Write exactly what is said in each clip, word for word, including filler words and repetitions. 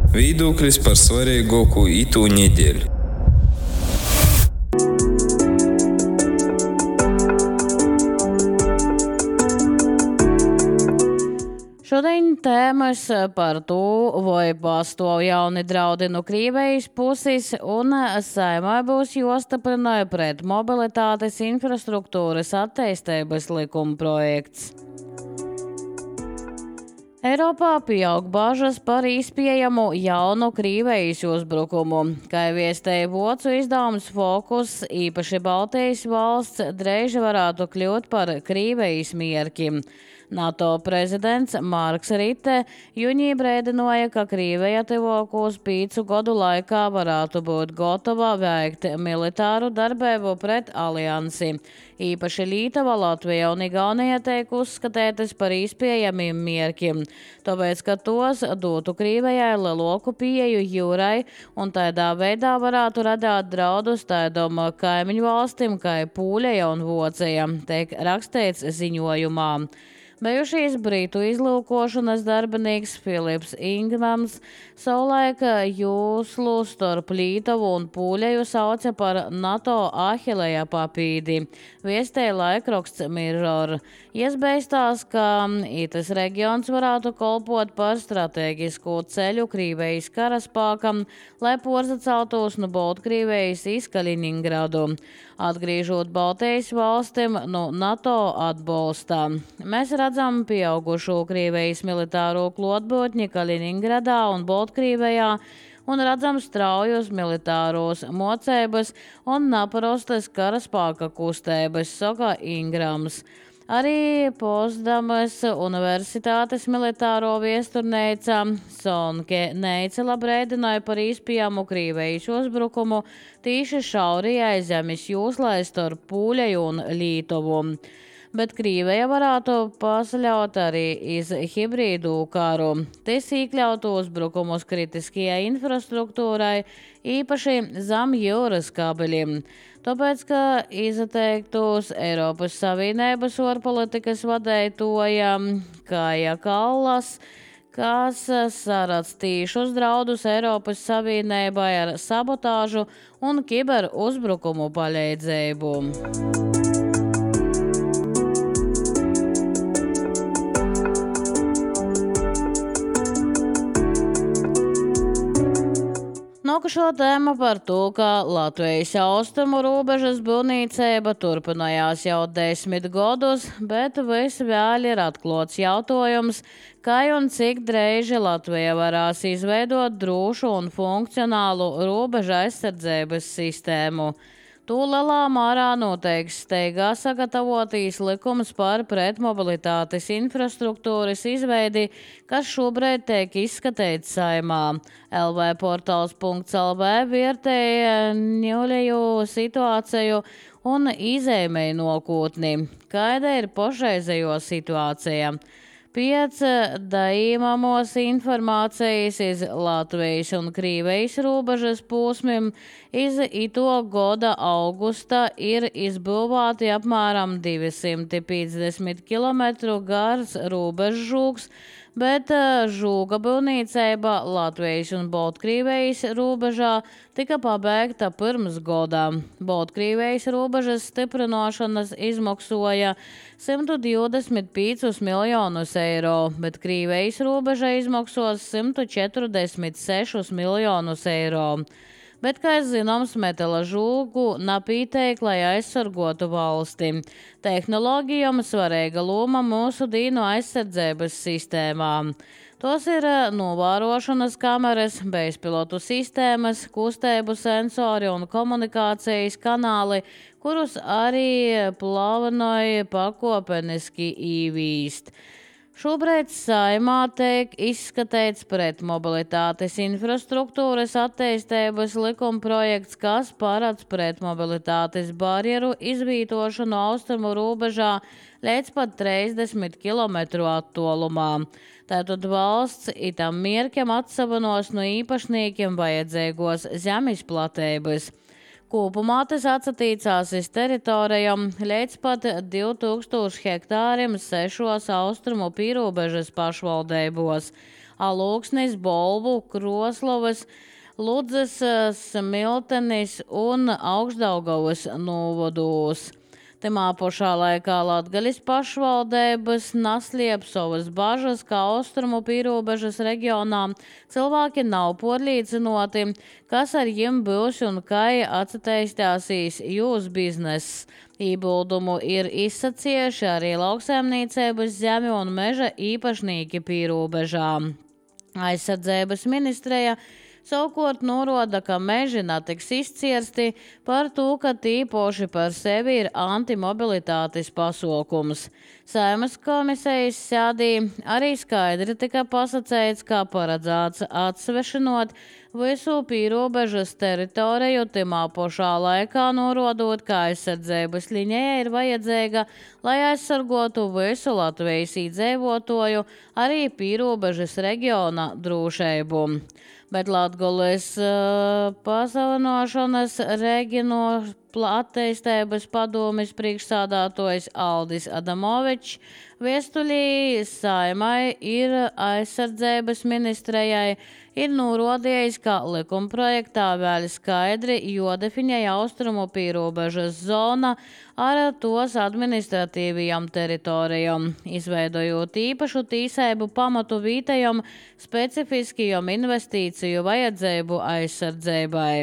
Viedoklis par svarīgāko itū nedēļu. Šodien tēmas par to, vai pastāv jauni draudi no Krievijas puses, un Saeimai būs jāstiprina pret mobilitātes infrastruktūras attīstības likuma projekts. Eiropā pieaug bažas par iespējamu jaunu Krievijas uzbrukumu. Kā viestēja vācu izdevums Focus, īpaši Baltijas valsts drīz varētu kļūt par Krievijas mērķi. NATO prezidents Marks Ritte jūnijā brēdināja, ka Krievija tuvākos pīcu gadu laikā varētu būt gatava veikt militāru darbību pret aliansi. Īpaši Lītava, Latvija un Igaunija tiek uzskatītas par iespējamiem mērķiem, tāpēc, ka tos dotu Krievijai lielāku pieeju jūrai un tādā veidā varētu radīt draudus tādām kaimiņu valstīm kā Pūļeja un Vācija, tiek rakstīts ziņojumā. Bijušais Britu izlūkošanas darbinieks Filips Ingrams savulaik jūslu starp Lītavu un Pūļeju sauca par NATO Ahilēja papīdi. Viestēja laikraksts Mirror. Iespējams, ka itas reģions varētu kolpot par strateģisku ceļu Krievijas karaspākam, lai porzaceltos no Baltkrievijas iz Kaliningradu, atgriežot Baltijas valstim no NATO atbalstā. Mēs redzam pieaugušo Krievijas militāro klātbūtni Kaliningradā un Baltkrievijā un redzam straujus militāros mocības un naparostas karaspāka kustības, saka Ingrams. Arī Potsdamas universitātes militāro viesturneica Sonke Neicela brēdināja par iespējamu Krievijas uzbrukumu tīši šaurajai zemes jūslai starp Pūļeju un Lītavu. Bet Krievija varētu pasaļaut arī iz hibrīdu karu. Tas iekļautu uzbrukumus kritiskajai infrastruktūrai, īpaši zem jūras kabeļiem. Tāpēc, ka izteiktos Eiropas Savienības ārpolitikas vadītāja Kaja Kallas, kas saredz tīšus draudus Eiropas Savienībai ar sabotāžu un kiberuzbrukumu palīdzību. Nākošo tēma par to, ka Latvijas austrumu robežas būvniecība turpinājās jau desmit gadus, bet visvēl ir atklāts jautājums, kā un cik drīz Latvija varēs izveidot drošu un funkcionālu robeža aizsardzības sistēmu. To lielā mērā noteiks steigā sagatavotīs likums par pretmobilitātes infrastruktūras izveidi, kas šobrīd tiek izskatīts Saeimā. L V portāls punkts L V vērtēja ņūļēju situāciju un izēmēja nākotni. Kāda ir pašreizējo situācija? Pēc daīmamos informācijas iz Latvijas un Krievijas robežas posmiem iz ito gada augusta ir izbūvēti apmēram divsimt piecdesmit kilometru gars robežžūks, bet žūga būvniecība Latvijas un Baltkrievijas robežā tika pabeigta pirms gada. Baltkrievijas robežas stiprināšanas izmaksoja simt divdesmit piecus miljonus eiro, bet Krievijas robeža izmaksos simt četrdesmit sešus miljonus eiro. Bet, kā zināms, metala žūgu napīteik, lai aizsargotu valsti. Tehnoloģijām svarīga loma mūsu dīnu aizsardzības sistēmām. Tos ir novērošanas kameras, bezpilotu sistēmas, kustību sensori un komunikācijas kanāli, kurus arī plānoja pakopeniski īvīst. Šobrīd Saeimā tiek izskatīts pretmobilitātes infrastruktūras attīstības likuma projekts, kas paredz pretmobilitātes barjeru izvietošanu austrumu robežā līdz pat trīsdesmit kilometru attālumā. Tātad valsts itam mērķam atsavanos no īpašniekiem vajadzīgos zemes platības. Kopumā tas atsatīcās iz teritorijām līdz pat divi tūkstoši hektāriem sešos austrumu pīrobežas pašvaldībos. Alūksnis, Bolvu, Kroslovas, Ludzes, Smiltenis un Augšdaugavas novados. Temā pašā laikā Latgaļas pašvaldības Nasliepsovas bažas, kā austrumu pīrobežas reģionā cilvēki nav podlīdzinoti, kas ar jiem būs un kai atsateistāsīs jūs bizness. Ībuldumu ir izsacieši arī lauksaimniecības zemi un meža īpašnīki pīrobežā. Aizsardzības ministreja savukārt norāda, ka meži netiks izcirsti par to, ka tīpoši par sevi ir antimobilitātes pasaukums. Saeimas komisijas sēdī arī skaidri tika pasacēts, kā paredzēts atsvešinot visu pīrobežas teritoriju, timā pašā laikā norādot, ka aizsardzības liņēja ir vajadzīga, lai aizsargotu visu Latvijas iedzīvotāju, arī pīrobežas reģiona drošību. Bet Latgulis uh, pasavinošanas Regino attīstības padomes priekšsādātojs Aldis Adamovičs viestuļī Saeimai ir aizsardzības ministrejai ir norādījis, ka likumprojektā vēl skaidri jodefiņēja austrumu pīrobežas zona ar tos administratīvajām teritorijām, izveidojot īpašu tīsēbu pamatu vītajam specifiskajam investīciju vajadzību aizsardzībai.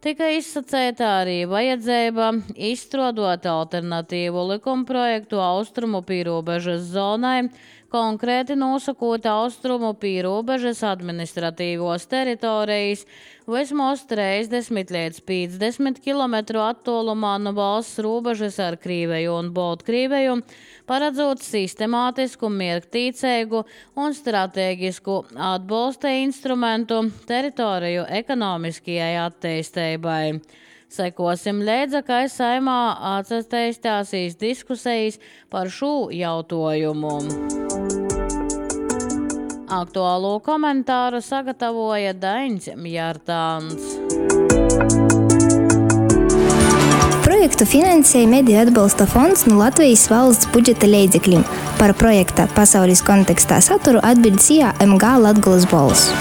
Tika izsacēta arī vajadzība izstrādāt alternatīvu likumprojektu austrumu pīrobežas zonai, konkrēti nosakot austrumu pīrobežas administratīvos teritorijas vismaz trīsdesmit līdz piecdesmit kilometru attālumā no valsts robežas ar Krīveju un Baltkrieviju, paredzot sistemātisku, miergtīcīgu un stratēģisku atbalsta instrumentu teritoriju ekonomiskajai attīstībai. Sekosim līdzi, kā Saeimā atsateistāsīs diskusijas par šo jautājumu. Aktuālo komentāru sagatavoja Daņs Mjārtāns. Projektu finansēja Mediju atbalsta fonds no Latvijas valsts budžeta līdzekļiem. Par projekta pasaules kontekstā saturu atbild S I A M G Latgulis balss.